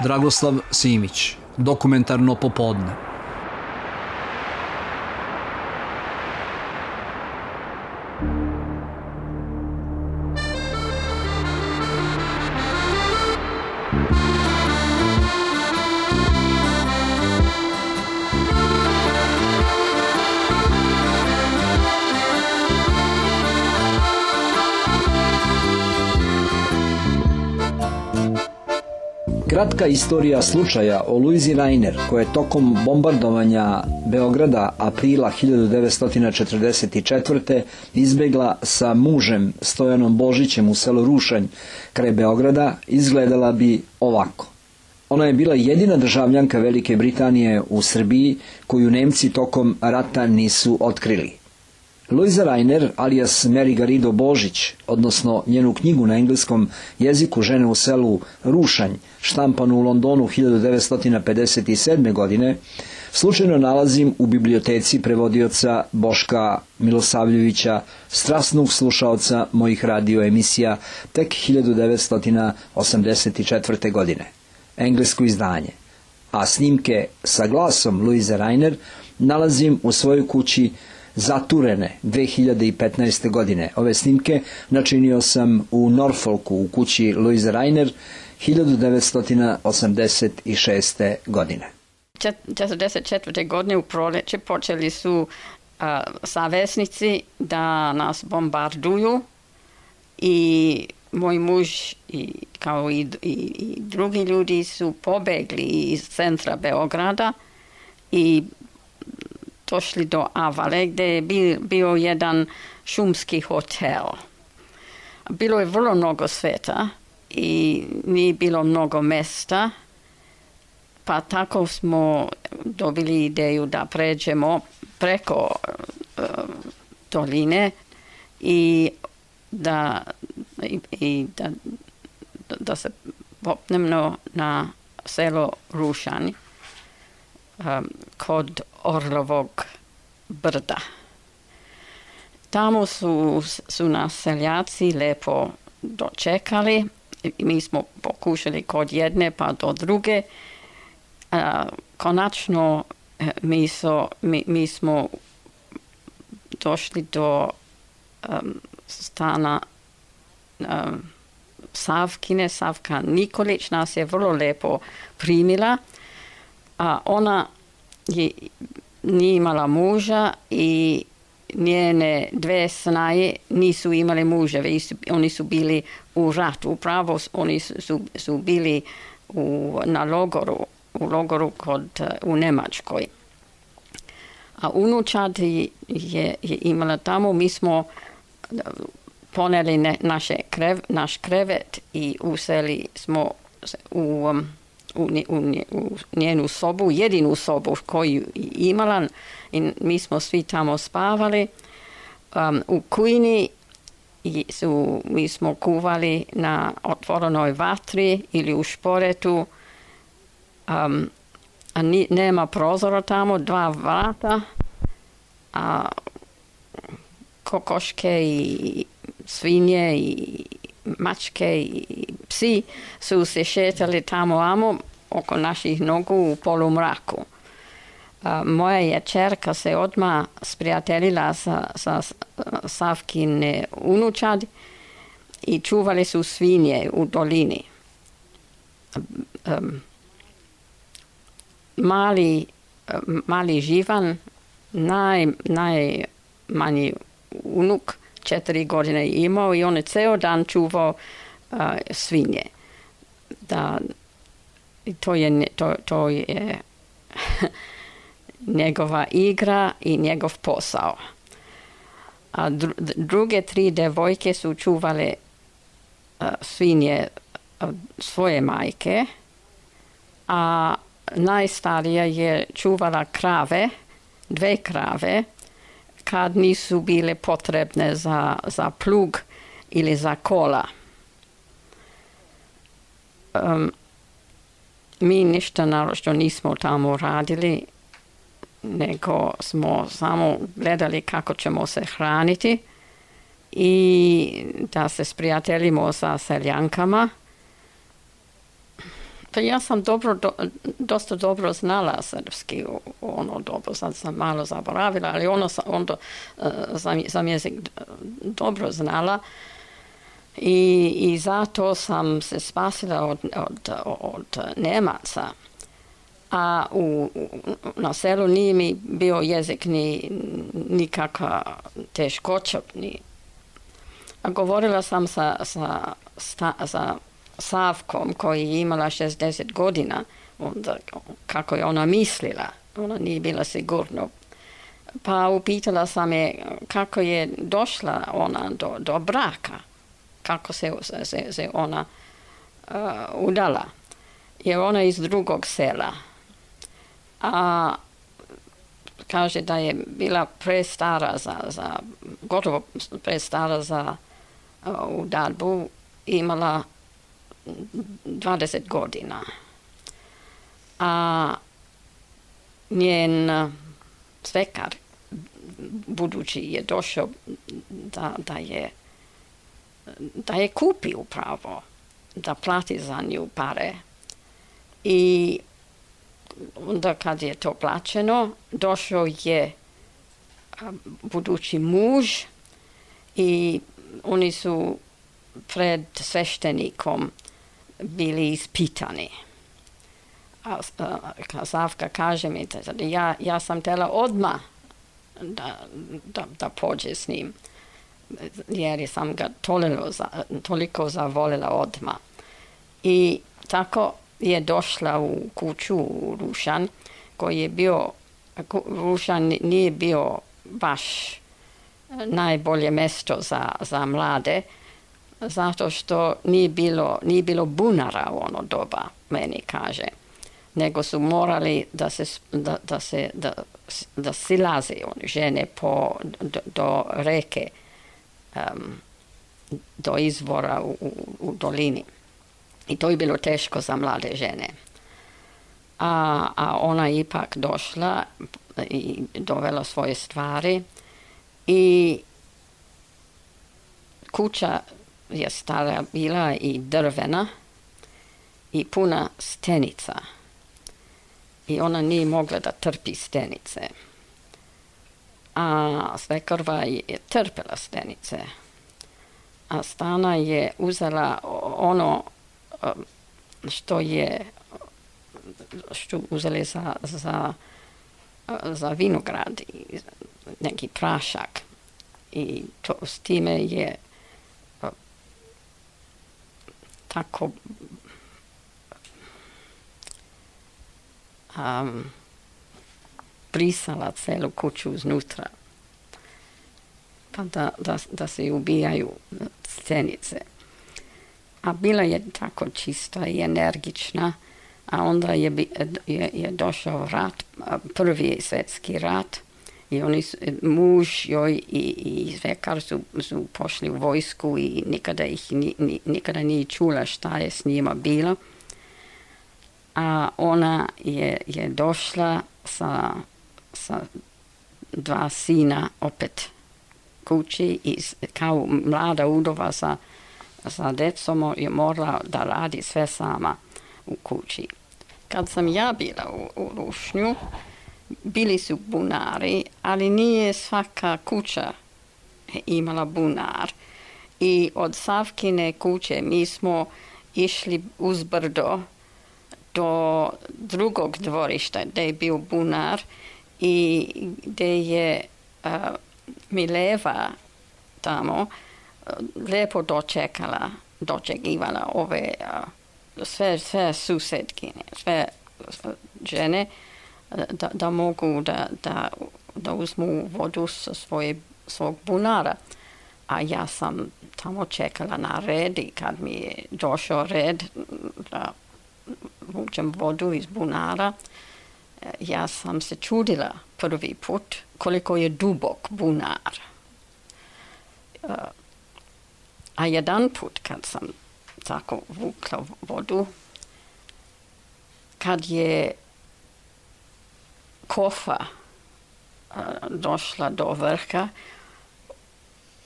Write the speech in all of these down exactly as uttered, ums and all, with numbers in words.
Dragoslav Simić, Dokumentarno popodne. Kratka istorija slučaja o Luizi Rainer, koja je tokom bombardovanja Beograda aprila hiljadu devetsto četrdeset četvrte izbegla sa mužem Stojanom Božićem u selo Rušanj kraj Beograda, izgledala bi ovako. Ona je bila jedina državljanka Velike Britanije u Srbiji koju Nemci tokom rata nisu otkrili. Luiza Rainer, alias Mary Garrido Božić, odnosno njenu knjigu na engleskom jeziku Žene u selu Rušanj, štampanu u Londonu hiljadu devetsto pedeset sedme. godine, slučajno nalazim u biblioteci prevodioca Boška Milosavljevića, strasnog slušaoca mojih radio emisija tek hiljadu devetsto osamdeset četvrte. godine. Englesko izdanje. A snimke sa glasom Luize Rainer nalazim u svojoj kući zaturene dve hiljade petnaeste. godine. Ove snimke načinio sam u Norfolku u kući Luize Rainer hiljadu devetsto osamdeset šeste. godine. četrdeset četvrte. godine u proljeće počeli su a, savesnici da nas bombarduju i moj muž i, kao i, i, i drugi ljudi su pobegli iz centra Beograda i došli do Avale, gdje je bio jedan šumski hotel. Bilo je vrlo mnogo sveta i nije bilo mnogo mesta, pa tako smo dobili ideju da pređemo preko uh, doline i da, i, i da, da se popnemo na selo Rušanj um, kod Orlovog brda. Tamo su, su nas seljaci lepo dočekali. Mi smo pokušali kod jedne pa do druge. A, konačno mi, so, mi, mi smo došli do um, stana um, Savkine. Savka Nikolić nas je vrlo lepo primila. A ona je, nije imala muža i njene dve snaje nisu imale muževe. Oni su bili u ratu. Upravo oni su, su bili u, na logoru, u logoru kod, u Nemačkoj. A unučad je, je imala tamo. Mi smo poneli ne, naše krev, naš krevet i useli smo u... Um, U, u, u njenu sobu, jedinu sobu koju imala i mi smo svi tamo spavali. Um, u kujni su, mi smo kuvali na otvorenoj vatri ili u šporetu. Um, a ni, nema prozora tamo, dva vrata, a kokoške i svinje i mačke i psi su se šetali tamo amo oko naših nogu u polumraku. A, moja je čerka se odmah sprijateljila sa, sa Savkine unučad i čuvali su svinje u dolini. Um, mali, mali Živan, naj, najmanji unuk, četiri godine imao i on je ceo dan čuvao uh, svinje. Da, to je, to, to je njegova igra i njegov posao. A dru, druge tri devojke su čuvale uh, svinje od svoje majke, a najstarija je čuvala krave, dve krave, kad nisu bile potrebne za, za plug ili za kola. Um, mi ništa naročito nismo tamo radili, nego smo samo gledali kako ćemo se hraniti i da se sprijateljimo sa seljankama. Pa ja sam dobro, do, dosta dobro znala srpski, ono dobro, sad sam malo zaboravila, ali ono sam, onda sam, sam jezik dobro znala i, i zato sam se spasila od, od, od Nemaca. A u, na selu nije mi bio jezik ni nikakva teškoća. Ni. A govorila sam sa, sa, sa, sa Savkom koji je imala šezdeset godina, onda kako je ona mislila, ona nije bila sigurno. Pa upitala sam je kako je došla ona do, do braka, kako se, se, se ona uh, udala. Jer ona iz drugog sela. A kaže da je bila prestara za, za gotovo prestara za uh, udalbu, imala dvadeset godina. A njen svekar budući je došao da, da je da je kupi upravo, da plati za nju pare. I onda kad je to plaćeno, došao je budući muž i oni su pred sveštenikom bili ispitani. A, a Savka kaže mi, ja, ja sam htjela odmah da, da, da pođe s njim, jer sam ga toliko, za, toliko zavolila odmah. I tako je došla u kuću u Rušan, koji je bio, Rušan nije bio baš najbolje mjesto za, za mlade, zato što nije bilo, nije bilo bunara u ono doba, meni kaže. Nego su morali da se, da, da se da, da silaze one žene po, do, do reke, um, do izvora u, u, u dolini. I to je bilo teško za mlade žene. A, a ona je ipak došla i dovela svoje stvari i kuća je stara bila i drvena i puna stenica. I ona nije mogla da trpi stenice. A svekrva je trpela stenice. A Stana je uzela ono što je što uzeli za, za, za vinograd i neki prašak. I to, s time je tako um, brisala celu kuću iznutra, pa da, da, da se ubijaju stenice. A bila je tako čista i energična, a onda je, je, je došao rat, prvi svjetski rat, i oni su, muž joj i, i svekar su, su pošli u vojsku i nikada ih ni, ni, nikada nije čula šta je s njima bilo. A ona je, je došla sa, sa dva sina opet kući i kao mlada udova sa, sa decom je morala da radi sve sama u kući. Kad sam ja bila u, u Rušnju, bili su bunari, ali nije svaka kuća imala bunar. I od Savkine kuće mi smo išli uz brdo do drugog dvorišta gdje je bio bunar i gdje je uh, Mileva tamo uh, lijepo dočekala, dočekivala ove uh, sve, sve susedkine, sve žene, Da, da mogu da, da, da uzmu vodu sa svoje, svog bunara. A ja sam tamo čekala na red i kad mi je došao red da vučem vodu iz bunara, ja sam se čudila prvi put koliko je dubok bunar. A jedan put kad sam tako vukla vodu, kad je kofa uh, došla do vrha,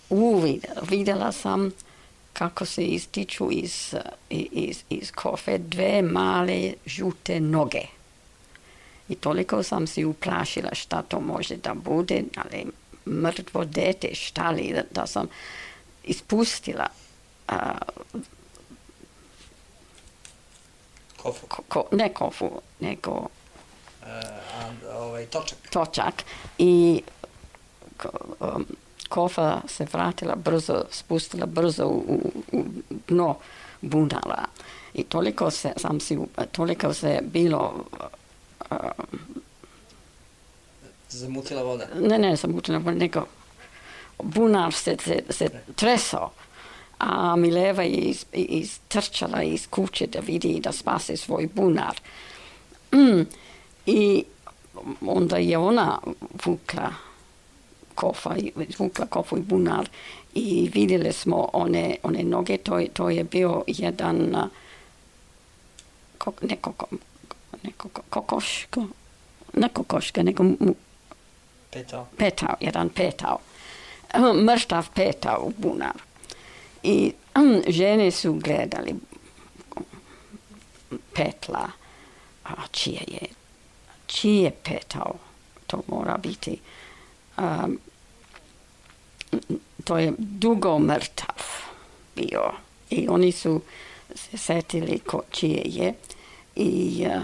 uvidjela, vidjela sam kako se ističu iz, iz, iz kofe dve male žute noge. I toliko sam si uplašila šta to može da bude, ali mrtvo dete, šta li, da, da sam ispustila a, Kofu? Ko, ne kofu, nego E, a, ovaj, točak. Točak. I ko, um, kofa se vratila brzo, spustila brzo u, u, u dno bunara. I toliko se, sam si, toliko se bilo... Uh, Zamutila voda? Ne, ne, zamutila voda, nego bunar se, se, se tresao. A Mileva je iz, istrčala iz kuće da vidi da spase svoj bunar. Mm. I onda je ona vukla kofa, vukla kofu i bunar i vidjeli smo one, one noge, to, to je bio jedan kok, ne, koko, ne koko, kokoško, ne kokoška, nego mu, petao. petao, jedan petao, mrtav petao u bunar. I žene su gledali petla, a čije je, čije je petao, to mora biti, um, to je dugo mrtav bio i oni su se setili ko čije je i uh,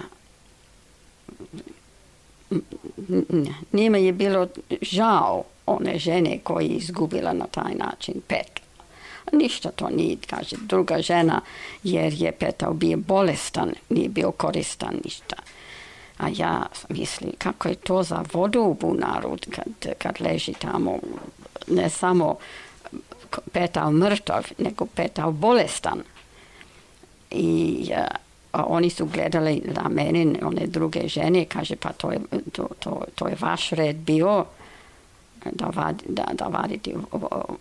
njima je bilo žao one žene koji je izgubila na taj način petla. Ništa to nije, kaže druga žena, jer je petao bio bolestan, nije bio koristan ništa. A ja mislim, kako je to za vodu u bunaru kad, kad leži tamo, ne samo petao mrtav, nego petao bolestan. I a oni su gledali na mene, one druge žene, kaže pa to je, to, to, to je vaš red bio, da, vad, da, da vadite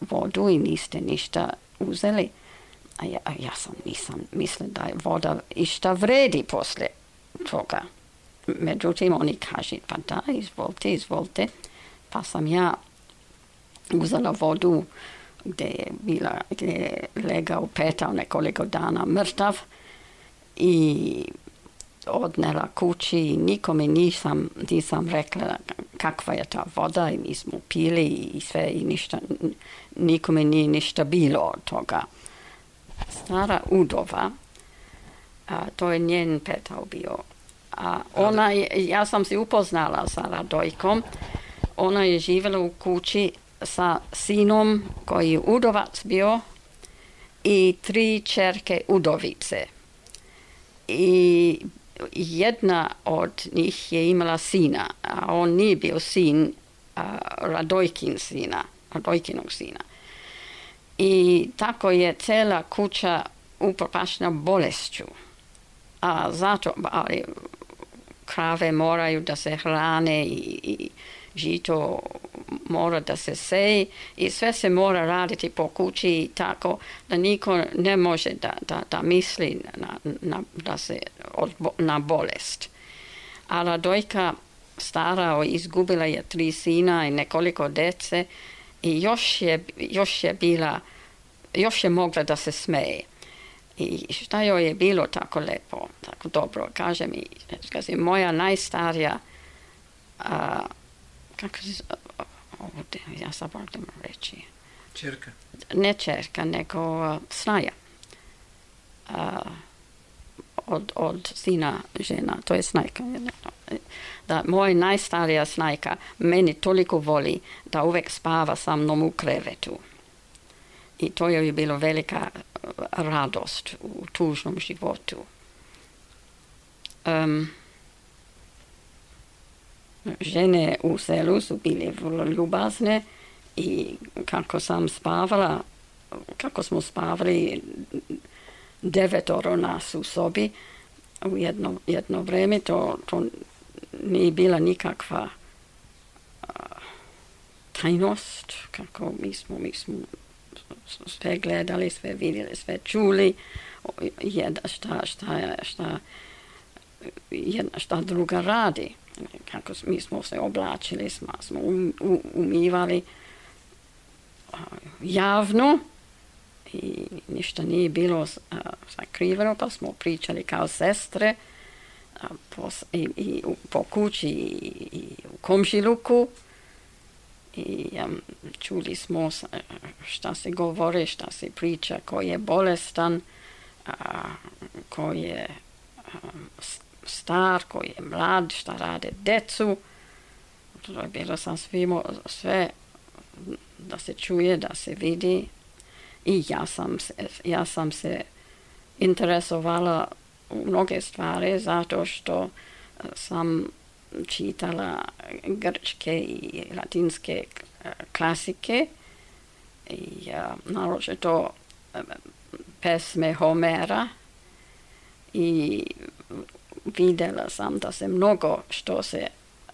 vodu i niste ništa uzeli. A ja, a ja sam nisam mislila da je voda išta vredi poslije toga. Međutim, oni kaže, pa da, izvolite, izvolite. Pa sam ja uzela vodu gdje je, bila, gdje je legao, petao nekoliko dana mrtav i odnela kući i nikome nisam, nisam rekla kakva je ta voda i mi smo pili i sve i ništa, nikome nije ništa bilo od toga. Stara udova, a, to je njen petao bio. A ona je, ja sam se upoznala sa Radojkom, ona je živjela u kući sa sinom koji je udovac bio i tri čerke udovice. I jedna od njih je imala sina, a on nije bio sin a, Radojkin sina, Radojkinog sina. I tako je cijela kuća upropaštena bolešću. A zato, ali krave moraju da se hrane i, i žito mora da se seji i sve se mora raditi po kući i tako da niko ne može da, da, da misli na, na, da se od, na bolest. A Radojka stara izgubila je tri sina i nekoliko dece i još je, još je bila, još je mogla da se smeje. I šta joj je bilo tako lepo, tako dobro, kaže mi, kaže, moja najstarija, a, kako se, ovdje, ja zaboravim reći. Čerka? Ne čerka, nego a, snaja. A, od, od sina žena, to je snajka. Da, moja najstarija snajka meni toliko voli da uvek spava sa mnom u krevetu. I to je bilo velika radost u tužnom životu. Um, žene u selu su bile vrlo ljubazne i kako sam spavala, kako smo spavali devetoro nas u sobi u jedno, jedno vreme, to, to nije bila nikakva uh, tajnost, kako mi smo, mi smo sve gledali, sve vidjeli, sve čuli, jedna šta, šta, šta, jedna šta druga radi. Kako mi smo se oblačili, smo, smo um, umivali javno i ništa nije bilo sakriveno, pa smo pričali kao sestre po, i, i po kući i, i u komšiluku i um, čuli smo šta se govore, šta se priča, ko je bolestan, a, ko je um, star, ko je mlad, šta rade decu. To je bilo sasvim sve da se čuje, da se vidi. I ja sam se, ja sam se interesovala u mnoge stvari zato što sam čitala grčke i latinske klasike i naročito pesme Homera i vidjela sam da se mnogo što se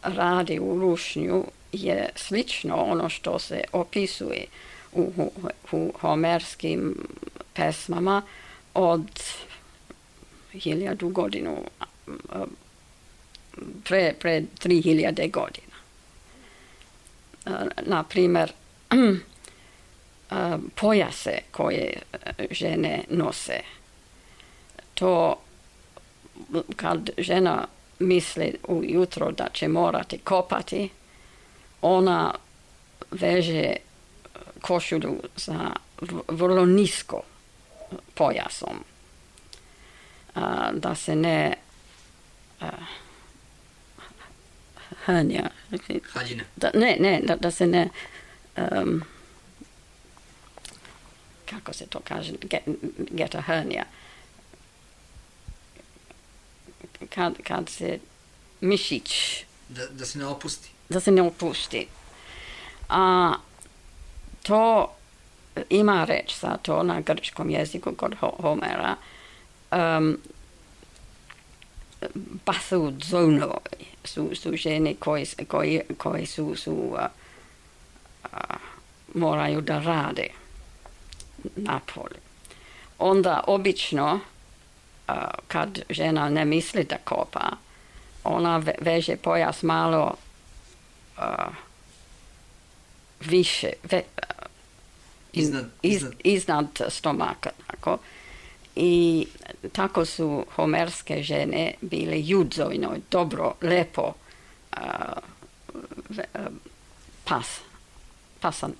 radi u rušnju je slično ono što se opisuje u, u, u homerskim pesmama od hiljadu godinu, pre, pre tri hiljade godina. Na primjer, pojase koje žene nose, to kad žena misli ujutro da će morati kopati, ona veže košulju sa vrlo nisko pojasom, a, da se ne a, hanja, da, ne, ne, da, da se ne um, kako se to kaže, get, get a hernia, kad, kad se mišić da, da se ne opusti da se ne opusti. A to ima reč za to na grčkom jeziku kod Homera. Um, Bathuzono su, su žene koji, koji, koji su, su uh, uh, moraju da rade na polju. Onda obično uh, kad žena ne misli da kopa, ona veže pojas malo uh, više, ve, uh, iznad, iz, iznad. iznad stomaka. Tako. I tako su homerske žene bile judzojno, dobro, lepo uh, ve, uh, pas, pasan,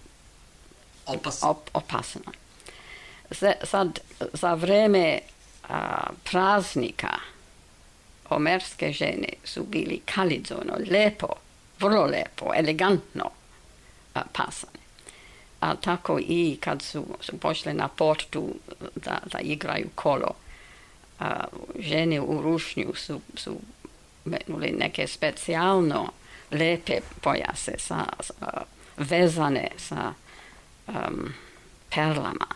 Opas. op, opasno. Z, sad, za vreme uh, praznika homerske žene su bili kalidzojno, lepo, vrlo lepo, elegantno uh, pasane. A tako i kad su, su pošle na portu da, da igraju kolo, a, žene u rušnju su, su metnuli neke specijalno lepe pojase sa, sa, vezane sa um, perlama.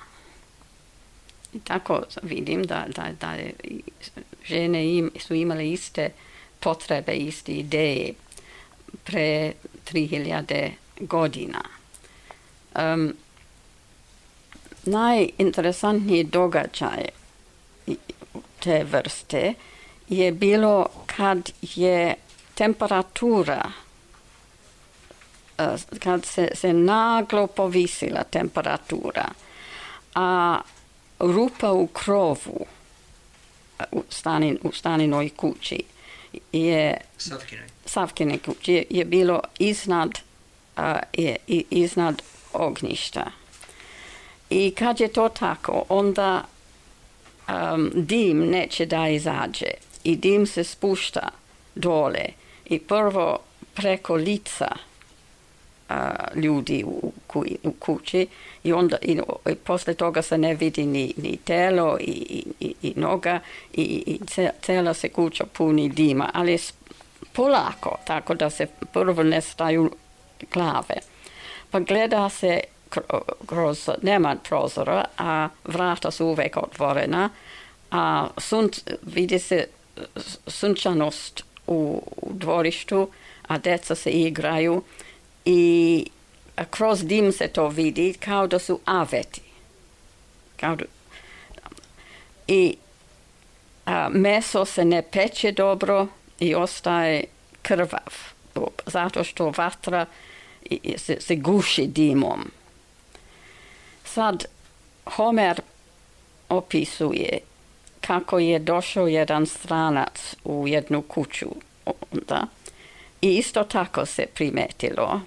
I tako vidim da, da, da žene im, su imale iste potrebe, iste ideje pre tri hiljade godina. Um, najinteresantniji događaj te vrste je bilo kad je temperatura, uh, kad se, se naglo povisila temperatura, a rupa u krovu u, stanin, u staninoj kući je Savkinoj. Savkine kući je, je bilo iznad, uh, je, iznad ognjišta. I kad je to tako, onda um, dim neće da izađe i dim se spušta dole i prvo preko lica uh, ljudi u, ku, u kući i onda i, i posle toga se ne vidi ni, ni telo i, i, i noga i, i cela se kuća puni dima, ali polako, tako da se prvo ne staju glave. Pa gleda se kroz, nema prozora, a vrata su uvek otvorena, a sunc, vidi se sunčanost u, u dvorištu, a deca se igraju i kroz dim se to vidi kao da su aveti. Kao da, i a, meso se ne peče dobro i ostaje krvav, zato što vatra se, se guši dimom. Sad, Homer opisuje kako je došao jedan stranac u jednu kuću onda i isto tako se primetilo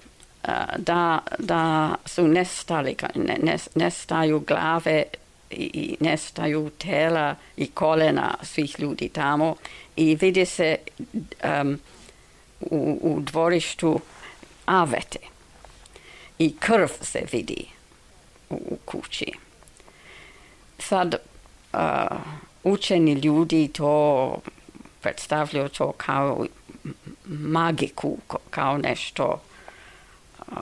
da, da su nestali, ne, nestaju glave i nestaju tela i kolena svih ljudi tamo i vidi se um, u, u dvorištu avete i krv se vidi u, u kući. Sad uh, učeni ljudi to predstavljaju to kao magiku, kao nešto uh,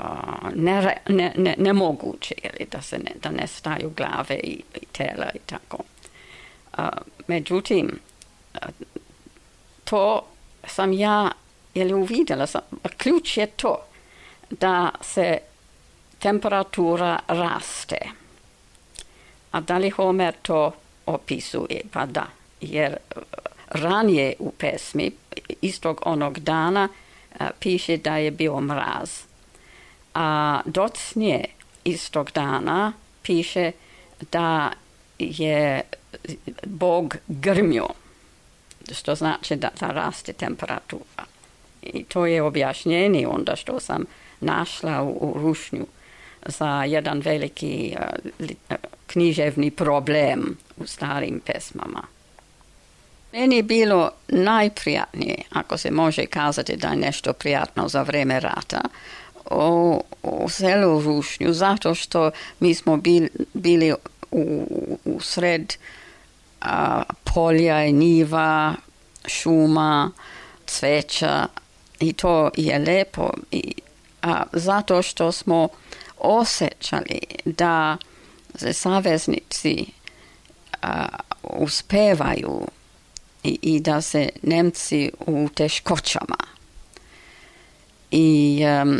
ne, ne, ne, nemoguće, da se ne, da nestaju glave i, i tela i tako. Uh, međutim, uh, to sam ja ili uvidjela, sam, ključ je to da se temperatura raste. A da li Homer to opisuje? Pa da, jer ranije u pesmi istog onog dana a, piše da je bio mraz. A docnije istog dana piše da je Bog grmio, što znači da, da raste temperatura. I to je objašnjenje onda što sam našla u, u rušnju za jedan veliki uh, li, uh, književni problem u starim pesmama. Meni je bilo najprijatnije, ako se može kazati da je nešto prijatno za vrijeme rata, u, u selu Rušnju, zato što mi smo bil, bili u, u sred uh, polja i njiva, šuma, cveća i to je lijepo i a, zato što smo osjećali da se saveznici a, uspevaju i, i da se Nemci u teškoćama. I um,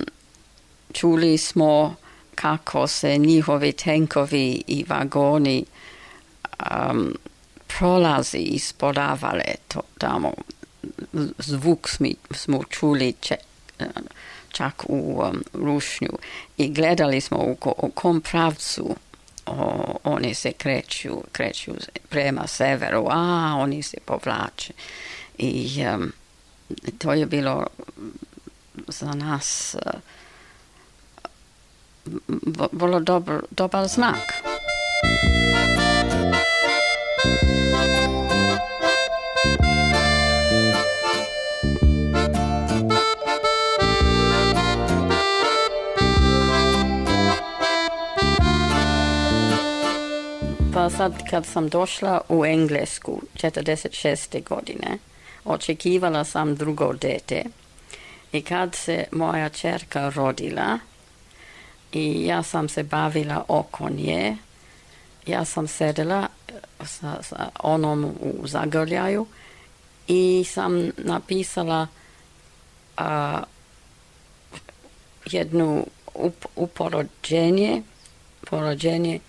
čuli smo kako se njihovi tenkovi i vagoni um, prolazi i sporavale to tamo. Zvuk smi, smo čuli če, čak u um, Rušnju i gledali smo u, ko, u kom pravcu o, oni se kreću, kreću prema severu, a oni se povlače. I um, to je bilo za nas uh, vrlo dobar, dobar znak. Pa sad kad sam došla u Englesku četrdeset šeste godine, očekivala sam drugo dete i kad se moja ćerka rodila i ja sam se bavila oko nje, ja sam sedela sa, sa onom u zagrljaju i sam napisala a, jednu up, uporođenje, porođenje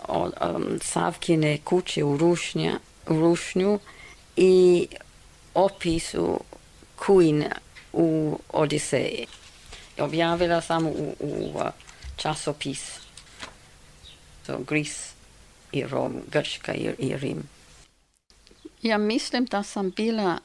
od um, Savkine kuće u, Rušnja, u Rušnju i opisu Queen u Odiseji. Objavila sam u, u uh, časopis so, Gris i Rom, Grčka i, i Rim. Ja mislim da sam bila,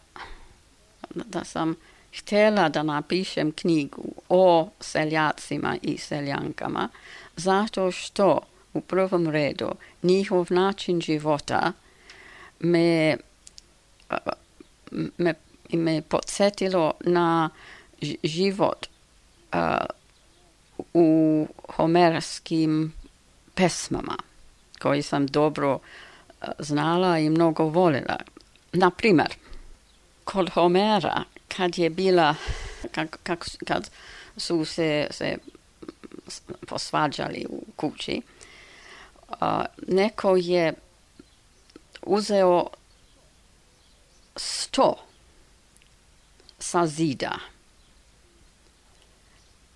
da sam htjela da napišem knjigu o seljacima i seljankama, zato što u prvom redu njihov način života me, me, me podsjetilo na život uh, u homerskim pesmama koji sam dobro uh, znala i mnogo volila. Na primjer, kod Homera kad je bila, kak, kak, kad su se, se posvađali u kući, Uh, neko je uzeo sto sa zida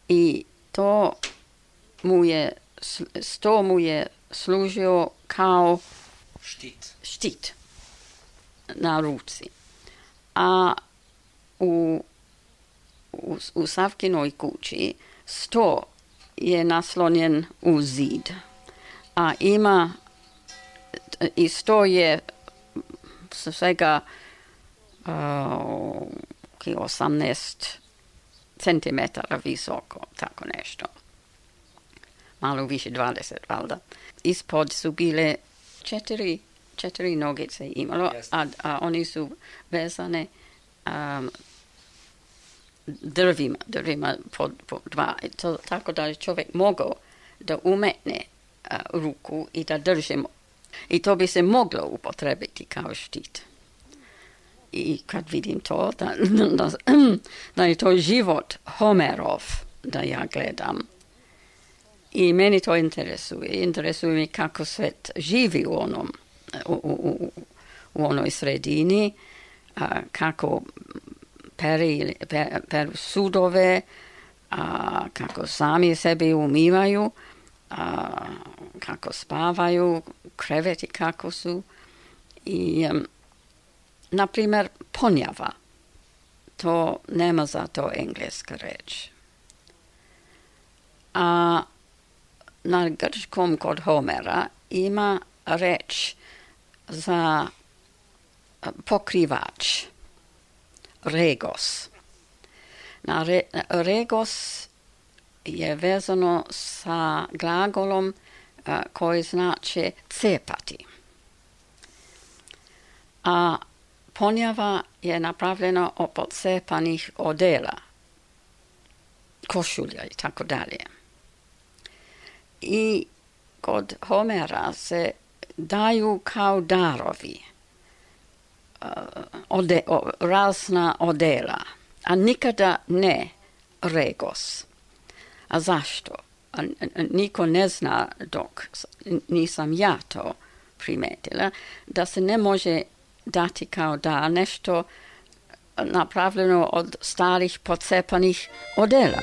i to mu je, sto mu je služio kao štit, štit na ruci. A u, u, u Savkinoj kući sto je naslonjen u zid. a ima i sto je svega uh, osamnaest centimetara visoko, tako nešto. Malo više dvadeset, valjda. Ispod su bile četiri, četiri nogice imalo, a, a oni su vezane um, drvima, drvima po, po dva. To, tako da je čovjek mogao da umetne uh, ruku i da držimo. I to bi se moglo upotrebiti kao štit. I kad vidim to, da, da, da je to život Homerov, da ja gledam. I meni to interesuje. Interesuje mi kako svet živi u onom, u, u, u onoj sredini, a, kako peri, per, peru sudove, a, kako sami sebi umivaju, a, kako spavaju, kreveti kako su. I, um, na primjer, ponjava. To nema za to engleska reč. A na grčkom kod Homera ima reč za pokrivač, regos. Na re, regos je vezano sa glagolom a, koji znači cepati. A ponjava je napravljena od cepanih odela, košulja i tako dalje. I kod Homera se daju kao darovi uh, ode, o, razna odela, a nikada ne regos. A zašto? A, a, niko ne zna, dok nisam ja to primetila, da se ne može dati kao da nešto napravljeno od starih pocepanih odela.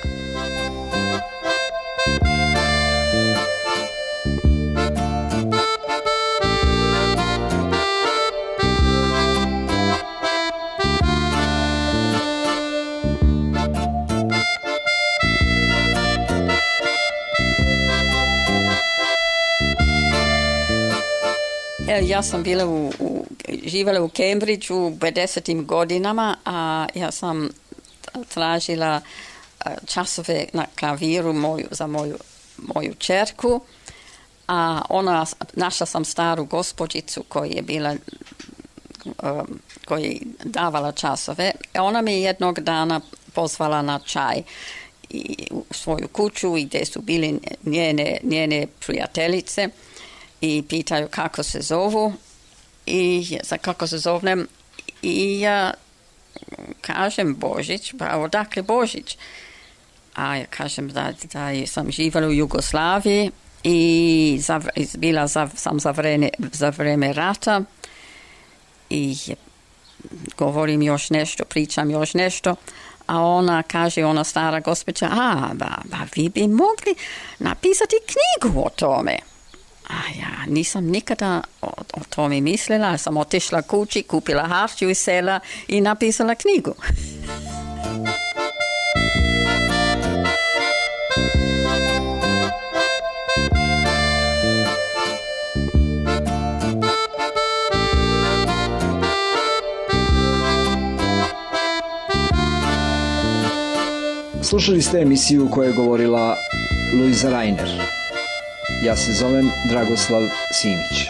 Ja sam bila u, u, živjela u Cambridgeu u pedesetim godinama, a ja sam tražila časove na klaviru moju, za moju, moju čerku, a ona, našla sam staru gospođicu koja je bila, um, koja je davala časove. Ona me jednog dana pozvala na čaj i, u svoju kuću i gdje su bili njene, njene prijateljice. I pitaju kako se zovu i za kako se zovnem i ja kažem Božić, pa odakle Božić? A ja kažem da, da sam živjela u Jugoslaviji i za, bila za, sam za vreme, za vreme rata i govorim još nešto, pričam još nešto, a ona kaže, ona stara gospođa, a ba, ba, vi bi mogli napisati knjigu o tome. A ja nisam nikada o, o tome mislila, ja sam otišla kući, kupila harču iz sela i napisala knjigu. Slušali ste emisiju koja je govorila Luiza Rainer. Ja se zovem Dragoslav Simić.